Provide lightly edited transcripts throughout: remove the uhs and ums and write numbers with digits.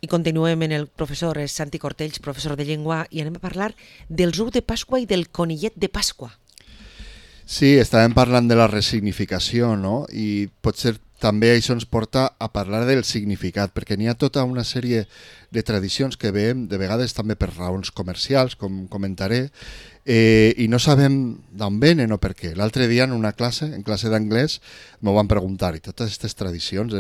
I continuem en el professor Santi Cortells, professor de llengua, i anem a parlar dels ous de Pasqua i del conillet de Pasqua. Sí, estàvem parlant de la resignificació, no? I potser també això ens porta a parlar del significat, perquè n'hi ha tota una sèrie de tradicions que veiem, de vegades també per raons comercials, com comentaré, i no sabem d'on venen o per què. L'altre dia en una classe, en classe d'anglès, m'ho van preguntar, i totes aquestes tradicions,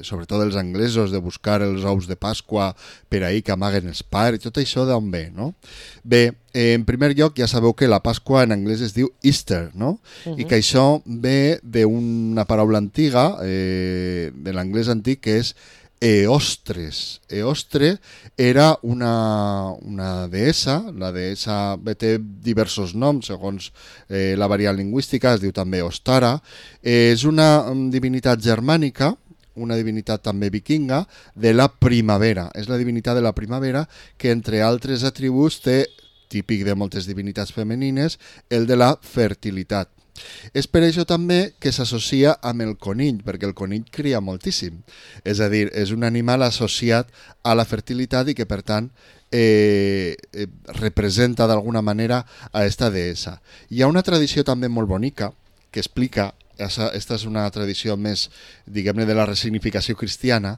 sobretot els anglesos, de buscar els ous de Pasqua per ahir que amaguen els pares, i tot això d'on ve, no? Bé, en primer lloc ja sabeu que la Pasqua en anglès es diu Easter, no? I que això ve d'una paraula antiga, de l'anglès antic, que és Eostres. Eostre era una deessa, la deessa té diversos noms segons la variant lingüística, es diu també Ostara, és una divinitat germànica, una divinitat també vikinga, de la primavera. És la divinitat de la primavera que, entre altres atributs, té, típic de moltes divinitats femenines, el de la fertilitat. És per això també que s'associa amb el conill, perquè el conill cria moltíssim. És a dir, és un animal associat a la fertilitat i que, per tant, representa d'alguna manera a esta deessa. Hi ha una tradició també molt bonica que explica, esta és una tradició més, diguem-ne, de la resignificació cristiana,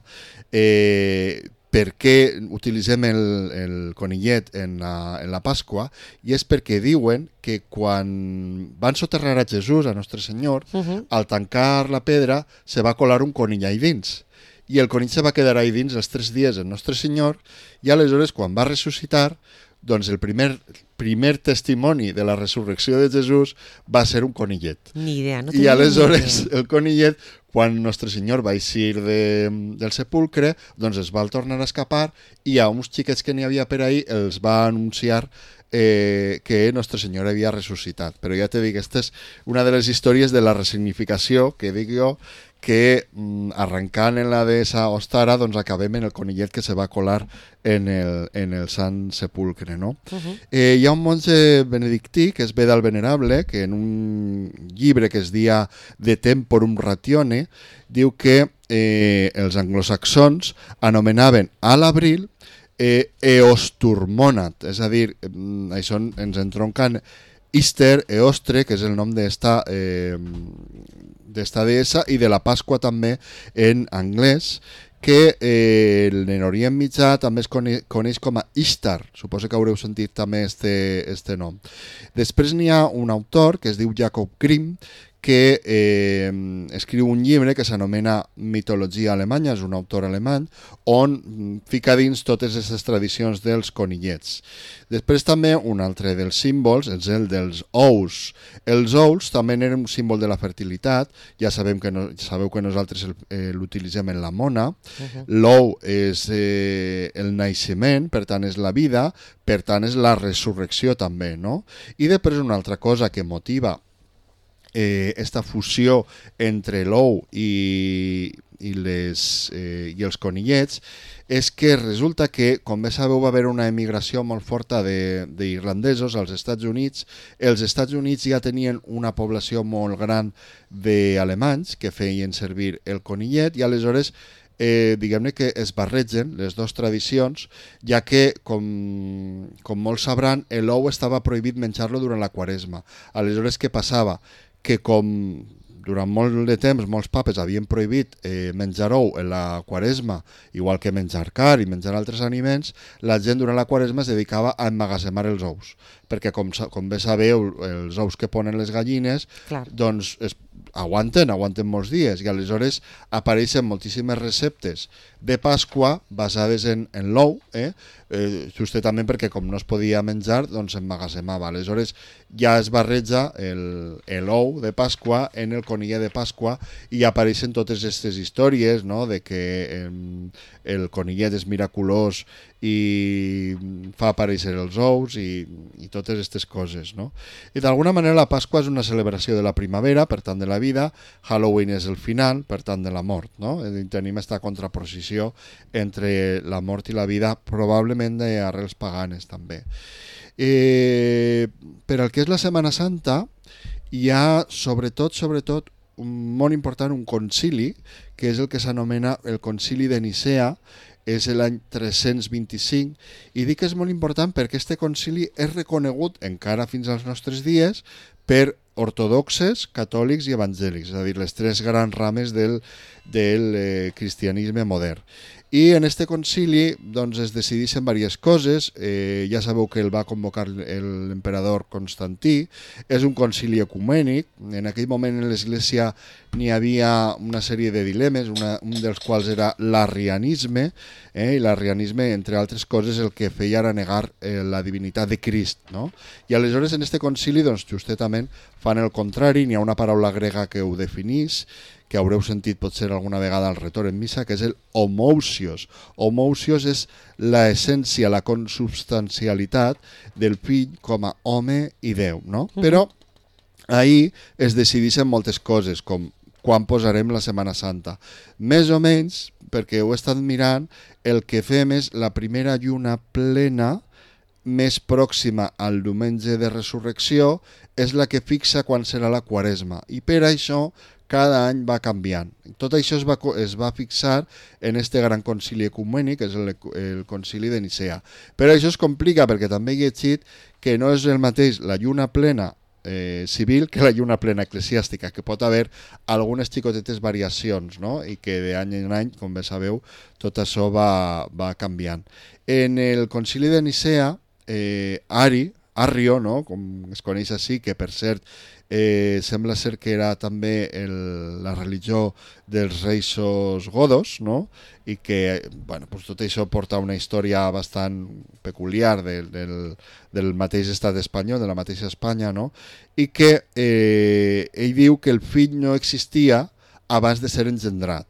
per què utilitzem el conillet en la Pasqua, i és perquè diuen que quan van soterrar a Jesús, a Nostre Senyor, al tancar la pedra se va colar un conill ahí dins, i el conill se va quedar ahí dins els 3 dies en Nostre Senyor, i aleshores quan va ressuscitar, doncs el primer testimoni de la resurrecció de Jesús va ser un conillet. Ni idea, no I tenia aleshores ni idea. el conillet, quan Nostre Senyor va eixir del sepulcre, doncs es va tornar a escapar i a uns xiquets que n'hi havia per ahí els va anunciar que Nostre Senyor havia ressuscitat. Però ja te dic, aquesta és una de les històries de la resignificació que dic jo, que arrencant en la deessa Ostara doncs acabem en el conillet que se va colar en el Sant Sepulcre, no? Hi ha un monge benedictí que és Beda el Venerable, que en un llibre que es dia De Temporum Ratione diu que els anglosaxons anomenaven a l'abril Eosturmonat, és a dir, això ens entronquen Easter, Eostre, que és el nom d'esta deessa, i de la Pasqua també en anglès, que en Orient Mitjà també es coneix com a Ishtar. Suposo que haureu sentit també este nom. Després n'hi ha un autor que es diu Jacob Grimm, que escriu un llibre que s'anomena Mitologia alemanya, és un autor alemany, on fica dins totes aquestes tradicions dels conillets. Després també un altre dels símbols és el dels ous. Els ous també eren un símbol de la fertilitat, ja sabeu que nosaltres l'utilitzem en la mona. L'ou és el naixement, per tant és la vida, per tant és la resurrecció també, no? I després una altra cosa que motiva esta fusió entre l'ou i els conillets és que resulta que, com bé sabeu, va haver una emigració molt forta d'irlandesos als Estats Units. Els Estats Units ja tenien una població molt gran d'alemanys que feien servir el conillet i aleshores diguem-ne que es barregen les dues tradicions, ja que, com molts sabran, l'ou estava prohibit menjar-lo durant la Quaresma. Aleshores, què passava? Que com durant molt de temps molts papes havien prohibit menjar ou en la Quaresma, igual que menjar carn i menjar altres aliments, la gent durant la Quaresma es dedicava a emmagatzemar els ous, perquè com bé sabeu, els ous que ponen les gallines doncs aguanten molts dies, i aleshores apareixen moltíssimes receptes de Pasqua basades en l'ou, justament perquè com no es podia menjar, doncs emmagatzemava. Aleshores ja es barreja l'ou de Pasqua en el conillet de Pasqua i apareixen totes aquestes històries, no?, de que el conillet és miraculós i fa aparèixer els ous i totes aquestes coses, no? I d'alguna manera la Pasqua és una celebració de la primavera, per tant de la vida. Halloween és el final, per tant de la mort, no? Tenim aquesta contraposició entre la mort i la vida, probablement d'arrels paganes també. Per al que és la Setmana Santa hi ha sobretot molt important un concili, que és el que s'anomena el concili de Nicea, és l'any 325, i dic que és molt important perquè este concili és reconegut encara fins als nostres dies per ortodoxes, catòlics i evangèlics, és a dir, les tres grans rames del cristianisme modern. I en este concili doncs, es decideixen diverses coses. Ja sabeu que el va convocar l'emperador Constantí. És un concili ecumènic. En aquell moment en l'Església n'hi havia una sèrie de dilemes, un dels quals era l'arrianisme, i l'arrianisme, entre altres coses, el que feia era negar la divinitat de Crist. No? I aleshores en este concili doncs, justament fan el contrari. N'hi ha una paraula grega que ho definís, que haureu sentit potser alguna vegada al retor en missa, que és el homousios. Homousios és l'essència, la consubstancialitat del fill com a home i Déu, no? Però ahir es decideixen moltes coses, com quan posarem la Setmana Santa. Més o menys, perquè ho he estat mirant, el que fem és la primera lluna plena més pròxima al diumenge de resurrecció és la que fixa quan serà la Quaresma. I per això cada any va canviant. Tot això es va fixar en este gran concili ecumènic, que és el concili de Nicea. Però això es complica perquè també he llegit que no és el mateix la lluna plena civil que la lluna plena eclesiàstica, que pot haver algunes xicotetes variacions, no? I que d'any en any, com bé sabeu, tot això va canviant. En el concili de Nicea, Arrio, no? Com es coneix així, que per cert sembla ser que era també la religió dels reis godos, no? I que bueno, pues tot això porta una història bastant peculiar del mateix estat espanyol, de la mateixa Espanya, no? I que ell diu que el fill no existia abans de ser engendrat.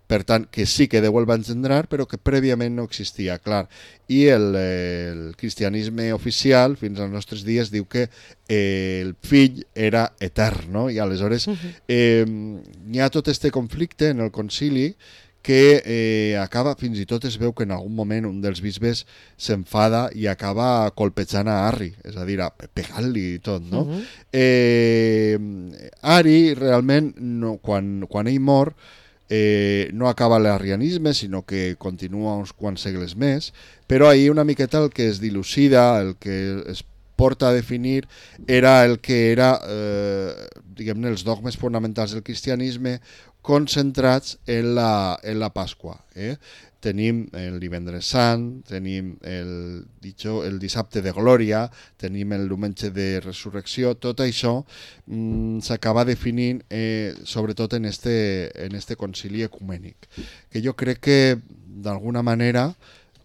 Per tant, que sí que Déu el va engendrar, però que prèviament no existia, clar. I el cristianisme oficial, fins als nostres dies, diu que el fill era etern, no? I aleshores hi ha tot este conflicte en el concili que acaba, fins i tot es veu que en algun moment un dels bisbes s'enfada i acaba colpejant a Arri, és a dir, pegant-li i tot, no? Arri, realment, no, quan ell mor, no acaba l'arrianisme, sinó que continua uns quants segles més, però ahir una miqueta el que es dilucida, el que es porta a definir, era el que era, diguem-ne, els dogmes fonamentals del cristianisme concentrats en la Pasqua. Tenim el divendres sant, tenim el dissabte de glòria, tenim el diumenge de resurrecció, tot això s'acaba definint sobretot en este concili ecumènic, que jo crec que d'alguna manera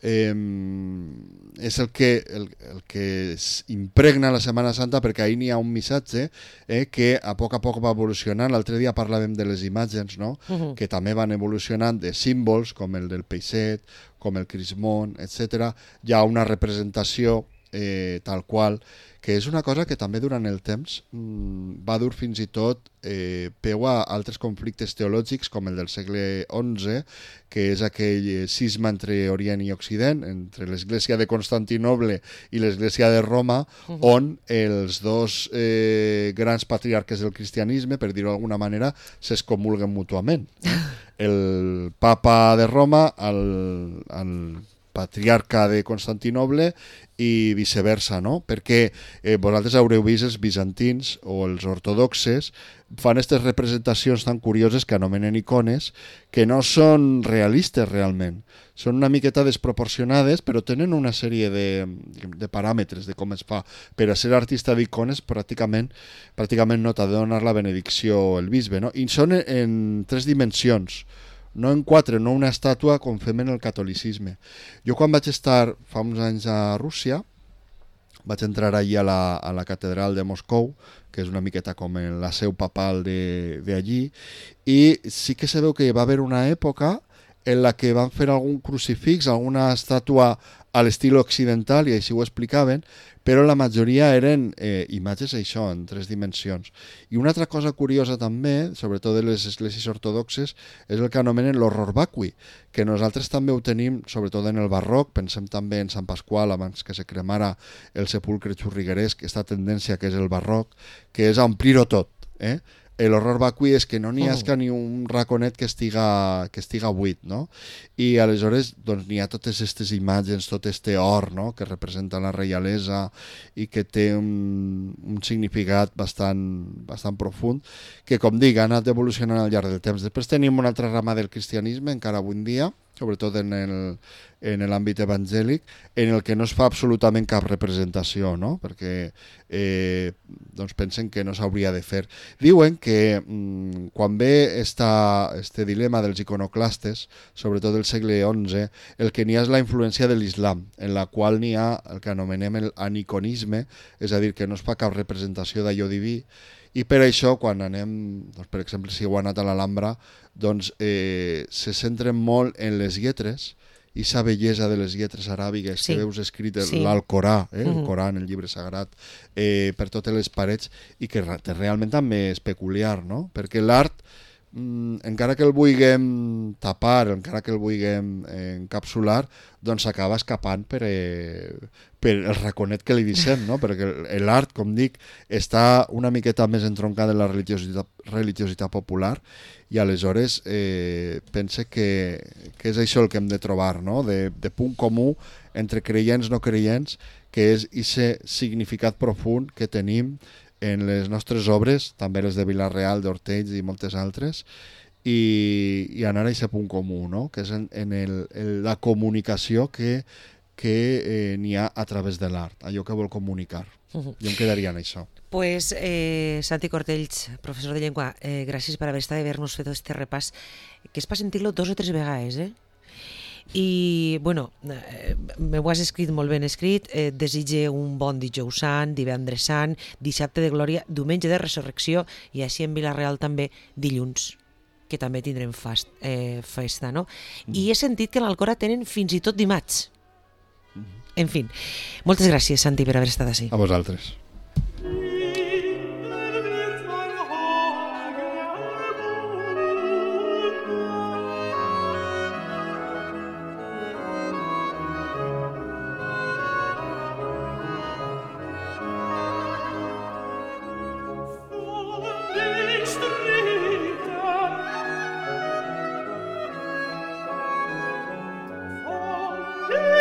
és el que impregna la Setmana Santa, perquè ahir n'hi ha un missatge que a poc va evolucionant. L'altre dia parlàvem de les imatges, no? Que també van evolucionant, de símbols com el del peixet, com el crismón, etc. Hi ha una representació tal qual, que és una cosa que també durant el temps va dur fins i tot peu a altres conflictes teològics, com el del segle XI, que és aquell cisma entre Orient i Occident, entre l'Església de Constantinoble i l'Església de Roma, on els dos grans patriarques del cristianisme, per dir-ho d'alguna manera, s'excomulguen mútuament. El papa de Roma, el patriarca de Constantinoble, i viceversa, no? Perquè vosaltres haureu vist els bizantins o els ortodoxes fan aquestes representacions tan curioses que anomenen icones, que no són realistes realment. Són una miqueta desproporcionades, però tenen una sèrie de paràmetres de com es fa. Per a ser artista d'icones pràcticament no t'ha de donar la benedicció el bisbe, no? I són en 3 dimensions, no en 4, no una estàtua com fem en el catolicisme. Jo quan vaig estar fa uns anys a Rússia, vaig entrar allí a la catedral de Moscou, que és una miqueta com la seu papal d'allí, i sí que se veu que va haver una època en la que van fer algun crucifix, alguna estàtua a l'estil occidental, i així ho explicaven, però la majoria eren imatges això, en 3 dimensions. I una altra cosa curiosa també, sobretot de les esglésies ortodoxes, és el que anomenen l'horror vacui, que nosaltres també ho tenim, sobretot en el barroc, pensem també en Sant Pasqual, abans que se cremara el sepulcre xurrigueresc, aquesta tendència que és el barroc, que és a omplir-ho tot, l'horror vacui és que no n'hi ha ni un raconet que estiga buit, no? I aleshores doncs, n'hi ha totes aquestes imatges, tot este or, no? Que representa la reialesa i que té un significat bastant profund, que, com dic, ha anat evolucionant al llarg del temps. Després tenim una altra rama del cristianisme, encara avui en dia, sobretot en l'àmbit evangèlic, en el que no es fa absolutament cap representació, no? Perquè doncs pensen que no s'hauria de fer. Diuen que quan ve este dilema dels iconoclastes, sobretot del segle XI, el que n'hi ha és la influència de l'islam, en la qual n'hi ha el que anomenem l'aniconisme, és a dir, que no es fa cap representació d'allò diví, i per això quan anem, doncs, per exemple, si heu anat a l'Alhambra, doncs se centren molt en les lletres i la bellesa de les lletres aràbigues que veus escrit l'Alcorà, el Corà, en el llibre sagrat, per totes les parets, i que realment també és peculiar, no? Perquè l'art, encara que el vulguem tapar, encara que el vulguem encapsular, doncs s'acaba escapant per el raconet que li deixem, no? Perquè l'art, com dic, està una miqueta més entroncada en la religiositat popular, i aleshores pense que és això el que hem de trobar, no? De punt comú entre creients i no creients, que és aquest significat profund que tenim en les nostres obres, també les de Vila-real, d'Ortells i moltes altres, i anar a aquest punt comú, no? Que és en la comunicació que n'hi ha a través de l'art, allò que vol comunicar. Jo em quedaria en això. Pues, Santi Cortells, professor de llengua, gràcies per haver-nos fet aquest repàs, que és per sentir-lo 2 o 3 vegades, I, bueno, m'ho has escrit molt ben escrit, desitge un bon dijous sant, divendres sant, dissabte de glòria, diumenge de resurrecció, i així en Vila-real també dilluns, que també tindrem festa, no? I he sentit que a l'Alcora tenen fins i tot dimarts. En fi, moltes gràcies, Santi, per haver estat així. A vosaltres.